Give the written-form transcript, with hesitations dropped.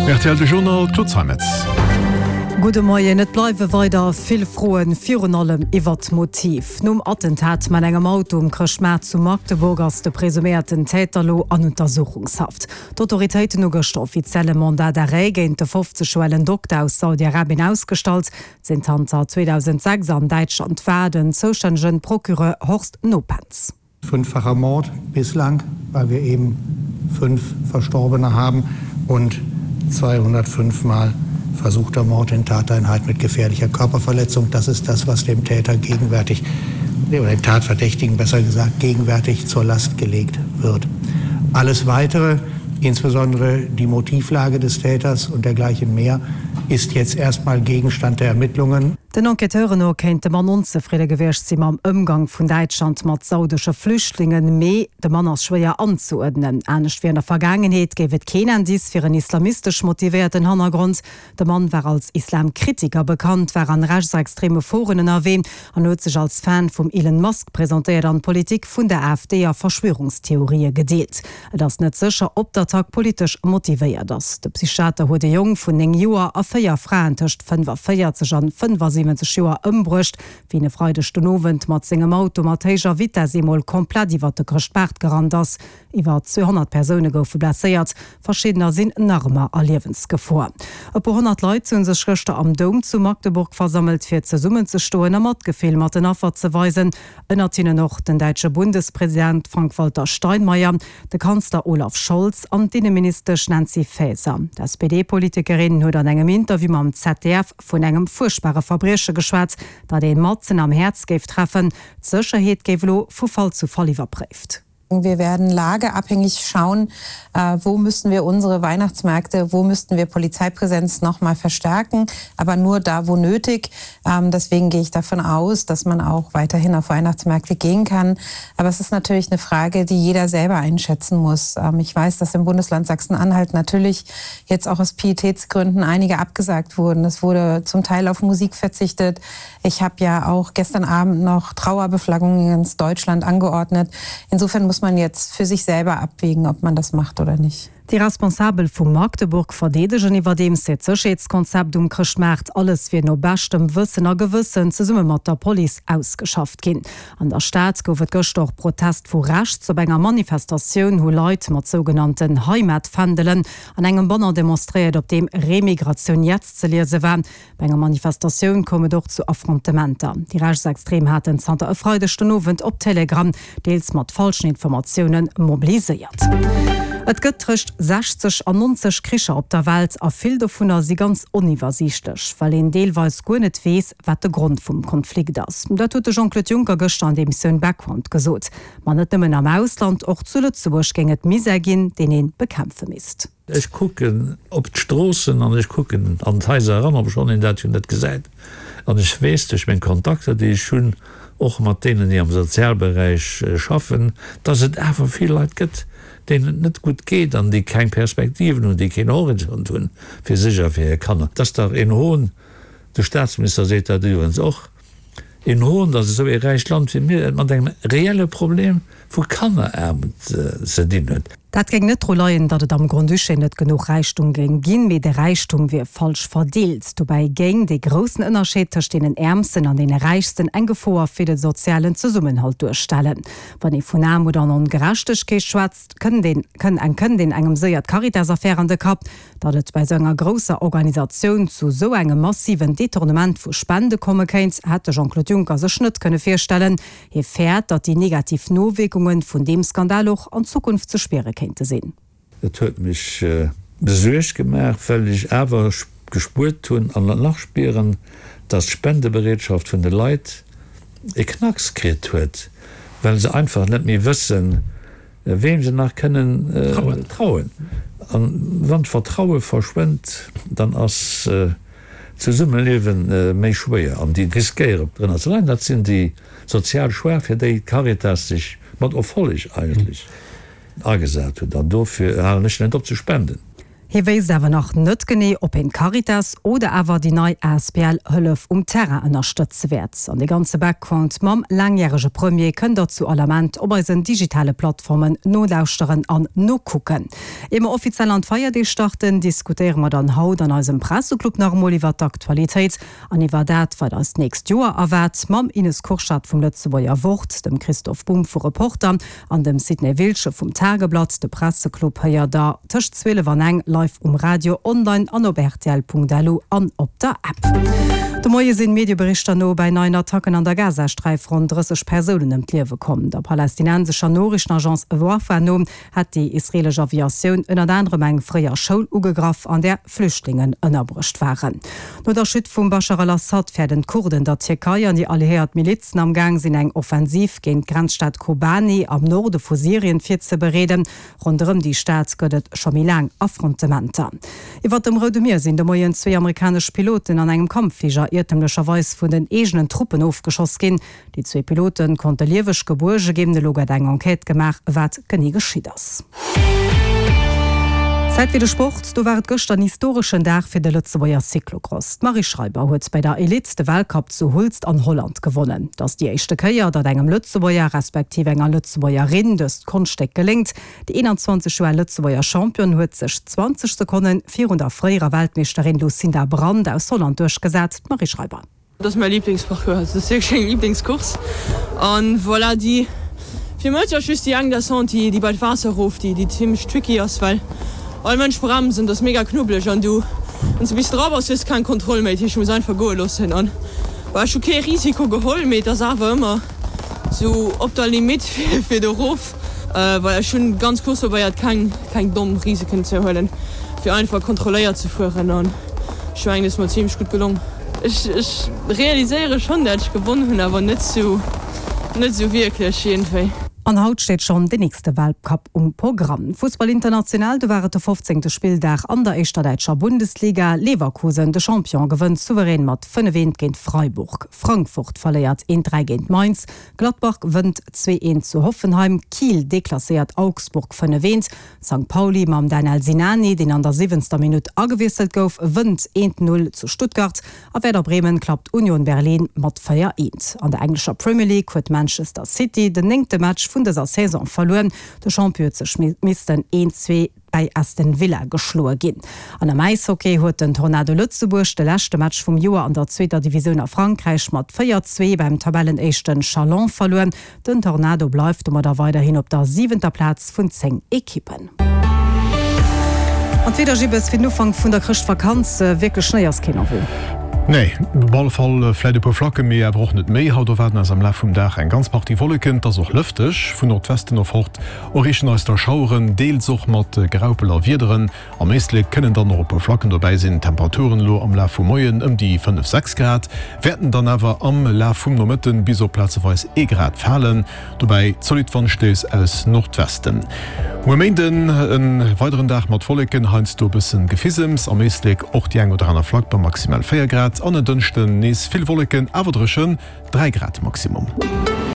Rtl De Journal, Claude Zeimetz. Gudde Moien. Et bleiwe weider vill Froen, virun allem iwwert d'Motiv. Nom Attentat mat engem Auto um Chrëschtmaart zu Magdeburg ass de presuméierten Täter lo an Untersuchungshaft. D'Autoritéiten hu gëschter offiziell e Mandat d'arrêt géint de 50 Joer alen Dokter aus Saudi-Arabien ausgestallt, deen zanter 2006 an Däitschland war. Den zoustännegen Procureur Horst Nopens. Fünffacher Mord bislang, weil wir eben fünf Verstorbene haben und 205 Mal versuchter Mord in Tateinheit mit gefährlicher Körperverletzung. Das ist das, was dem Täter gegenwärtig oder dem Tatverdächtigen besser gesagt gegenwärtig zur Last gelegt wird. Alles weitere, insbesondere die Motivlage des Täters und dergleichen mehr, ist jetzt erstmal Gegenstand der Ermittlungen. Den Enquêteuren no kéint de Mann onzefridde gewiescht si mam Ëmgang vun Däitschland mat saudesche Flüchtlingen, mee de Mann ass schwéier anzeuerdnen. Anescht wéi an der Vergaangenheet géif et keen Indice fir en islamistesch motivéierten Hannergrond. De Mann war als Islamkritiker bekannt, war an rechtsextreme Foren ënnerwee an huet sech als Fan vum Elon Musk presentéiert an d'Politik vun der AfD a Verschwörungstheorië gedeelt. Et ass net sécher, ob d'Attack politesch motivéiert ass. De Psychiater huet e Jong vun 9 Joer a 4 Fraen tëscht 45 an 75 Joer ëmbruecht, wéi en e Freideg den Owend mat sengem Auto mat héijer Vitess eemol komplett iwwert de Chrëschtmaart gerannt ass. Iwwer 200 Persoune goufe blesséiert, verschiddener sinn nach ëmmer a Liewensgefor. E puer 100 Leit hu sech gëschter am Doum zu Magdeburg versammelt, fir zesummenzestoen a Matgefill mat den Affer ze weisen. Ënnert hinnen och den däitsche Bundespresident Frank-Walter Steinmeier, de Kanzler Olaf Scholz an d'Inneministesch Nancy Faeser. D'SPD-Politikerin huet an engem Interview mam ZDF vun engem fuerchtbare Verbrieche geschwat, dat ee matzen am Häerz géif treffen. D'Sécherheet géif elo vu Fall zu Fall iwwerpréift. Wir werden lageabhängig schauen, äh, wo müssen wir unsere Weihnachtsmärkte, wo müssten wir Polizeipräsenz noch mal verstärken, aber nur da, wo nötig. Ähm, deswegen gehe ich davon aus, dass man auch weiterhin auf Weihnachtsmärkte gehen kann. Aber es ist natürlich eine Frage, die jeder selber einschätzen muss. Ähm, ich weiß, dass im Bundesland Sachsen-Anhalt natürlich jetzt auch aus Pietätsgründen einige abgesagt wurden. Es wurde zum Teil auf Musik verzichtet. Ich habe ja auch gestern Abend noch Trauerbeflaggungen ins Deutschland angeordnet. Insofern muss man jetzt für sich selber abwägen, ob man das macht oder nicht. Déi Responsabel vu Magdeburg verdeedegen iwwerdeems hiert Sécherheetskonzept um Chrëschtmaart. Alles wier no beschtem Wëssen a Gewëssen zesumme mat der Police ausgeschafft ginn. An der Stad gouf et gëschter och Protest vu rechts. Op enger Manifestatioun hu Leit mat sougenannten Heimatfändelen an engem Banner demonstréiert, op deem Remigration jetzt ze liese war. Bei enger Manifestatioun koum et och zu Affrontementer. Déi Rechtsextrem haten zanter e Freideg den Owend op Telegram, deels mat falschen Informatioune mobiliséiert. Et gëtt tëscht 60 an 90 Kricher op der Welt a vill dovunner si ganz oniwwersiichtlech, well een deelweis guer net weess, wat de Grond vum Konflikt ass. Dat huet de Jean-Claude Juncker gëschter an der Emissioun Background gesot. Ma net nëmmen am Ausland, och zu Lëtzebuerg géing et Misär ginn, deen ee bekämpfe misst. Ech kucken op d'Stroossen an ech kucken an d'Haiser eran, obschonn een dat jo net gesäit. An ech weess duerch meng Kontakter, déi ech hunn, och mat deenen, déi am Sozialberäich schaffen, dass et awer vill Leit gëtt, deenen et net gutt geet an déi keng Perspektiven hunn, déi keen Horizont hunn fir sech a fir hir Kanner. Et ass dach een Hohn, de Staatsminister seet dat iwwerens och, Een Hohn, datt esou ee räicht Land wéi mir et mat engem reelle Problem vu Kanneraarmut ze dinn huet. Dat géing net dru leien, datt et am Grand-Duché net genuch Räichtum géing ginn, mee de Räichtum wier falsch verdeelt. Dobäi géing dee groussen Ënnerscheed tëscht deenen Äermsten an deene Räichsten eng Gefoer fir de sozialen Zesummenhalt duerstellen. Wann ee vun Aarmut an Ongerechtegkeet schwätzt, kënnt een engem séier d'Caritas-Affär an de Kapp. Datt et bei sou enger grousser Organisatioun zu sou engem massiven Detournement vu Spende komme kéint, hätt de Jean-Claude Juncker sech net kënne virstellen. Hie fäert, datt déi negativ Nowierkunge vun deem Skandal och an Zukunft ze spiere kéinte sinn. Et huet mech besuergt gemaach, well ech awer gespuert hunn an et nach spieren, datt d'Spendebereetschaft vun de Leit e Knacks kritt huet, well se einfach net méi wëssen, Weem se nach kënnen trauen. An wann d'Vertraue verschwënnt, dann ass d'Zesummeliewe méi schwéier. An déi riskéiere drënner ze leiden, dat sinn déi sozial Schwaach, fir déi d'Caritas sech mat Erfolleg eigentlech agesat huet. An dofir halen ech net op ze spenden. Hie wéisst awer nach net genee, ob hien d'Caritas oder awer déi nei asbl Hëllef um Terrain ënnerstëtze wäert. An dee ganze Background mam laangjärege Premier kënnt der zu all Ament op eisen digitale Plattformen nolauschteren an nokucken. Ier mer offiziell an d'Feierdeeg starten, diskutéiere mer dann haut an eisem Presseclub nach emol iwwer d'Aktualitéit an iwwer dat, wat eis d'nächst Joer erwaart, mam Ines Kurschat vum Lëtzebuerger Wort, dem Christoph Bumb vu Reporter An dem Sidney Wiltgen vum Tageblatt. De Presseclub héiert der tëscht 12 an eng live um Radio, online an op rtl.lu an op der App. De Moie sinn Medieberichter no bei neien Attacken an der Gazasträif ronn 30 Persounen ëm d'Liewe komm. Der palästinensescher Noriichtenagence Wafa no hätt déi israeelesch Aviatioun ënnert anerem eng fréier Schoul ugegraff, an där Flüchtlingen ënnerbruecht waren. No der Chute vum Baschar al-Assad fäerten d'Kurden der Tierkei an déi alliéiert Milizen am Gaang sinn eng Offensiv géint d'Grenzstad Kobani am Norde vu Syrien virzebereeden. Ronderëm déi Stad gëtt et scho méi laang Affrontementer. Iwwer dem Roude Mier sinn de Moien zwee amerikanesch Piloten an engem Kampffliger iertemlecherweis vun den eegenen Truppen ofgeschoss ginn. Déi zwee Pilote konnte lieweg gebuerge ginn. Elo gëtt eng Enquête gemaach, wat genee geschitt ass. Zäit fir de Sport, Do war et gëschter en historeschen Dag fir de Lëtzebuerger Cyclocross. D'Marie Schreiber huet bei der Elite de Weltcup zu Hulst an Holland gewonnen. Et ass déi éischte Kéier, datt engem Lëtzebuerger, respektiv enger Lëtzebuergerin dëst Konschtstéck geléngt. Déi 21 Joer al Lëtzebuerger Championne huet sech 20 Sekonne virun der fréierer Weltmeeschterin Lucinda Brand aus Holland duerchgesat. D'Marie Schreiber. Dat ass mäi Liblingsparcours, also dat ass wierklech meng Liblingscourse an voilà, déi fir mech ass just déi eng Descente, déi déi bei d'Waasser erof, déi déi zimlech tricky ass, well all Mënsch bremst an dat ass mega knubbeleg an du wann s de bis dra bass hues de keng Kontroll méi, dat heescht du muss einfach goe loossen an voilà, ech hu kee Risiko geholl, mee et ass awer ëmmer sou op der Limite fir do erof. Voilà, ech hunn ganz Course probéiert keng keng domm Risiken ze huelen, fir einfach kontrolléiert ze fueren an ech mengen et ass mer zimlech gutt gelong. Ech ech realiséiere schonn dat ech gewonn hunn, awer net sou net sou wierklech iergendwéi. An haut steet schonn den nächste Weltcup um Programm. Fussball international, do war et de 15. Spilldag an der éischter däitscher Bundesliga. Leverkusen, de Champion, gewënnt souverän mat 5, 1 géint Freiburg. Frankfurt verléiert 1, 3 géint Mainz. Gladbach wënnt 2, 1 zu Hoffenheim, Kiel deklasséiert Augsburg 5, 1, Sankt Pauli mam Danel Sinani, deen an der siwwenzter Minutt agewiesselt gouf, wënnt 1, 0 zu Stuttgart a Werder Bremen klappt Union Berlin mat 4, 1. An der englescher Premier League huet Manchester City den néngte Match vun dëser Saison verluer. De Champion huet sech missten 1, 2 bäi Aston Villa geschloe ginn. An am Äishockey huet den Tornado Lëtzebuerg de leschte Match vum Joer an der zweeter Divisioun a Frankräich mat 4, 2 beim Tabellenéischten Chalon verluer. Den Tornado bleift domadder weiderhin op der siwenter Plaz vun 10 Ekippen. An d'Wieder, Gibbes, fir den Ufank vun der Chrëschtvakanz, wierklech Schnéi ass keen en vue. Nee, op alle Fall vläit e puer Flacke, mee awer och net méi. Haut erwaarden eis am Laf vum Dag eng ganz Partie Wolleken, et ass och lëfteg. Vun Nordwesten erfort Erreechen eis da Schaueren, deels och mat Graupel a Wiederen. Am Éislek kënnen dann och e puer Flacken dobäi sinn. D'Temperaturen elo am Laf vum Moien ëm déi 5, 6 Grad, wäerten dann awer am Laf vum Nomëtten bis op plazeweis ee Grad falen. Dobäi zolidd Wandstéiss aus Nordwesten. Muer Méinden e weideren Dag mat Wolleken, heiansdo e bëssen Gefisems, am Éislek och déi eng oder aner Flack bei maximal 4 Grad. An en Dënschden nees vill Wolleken, awer dréchen, 3 Grad Maximum.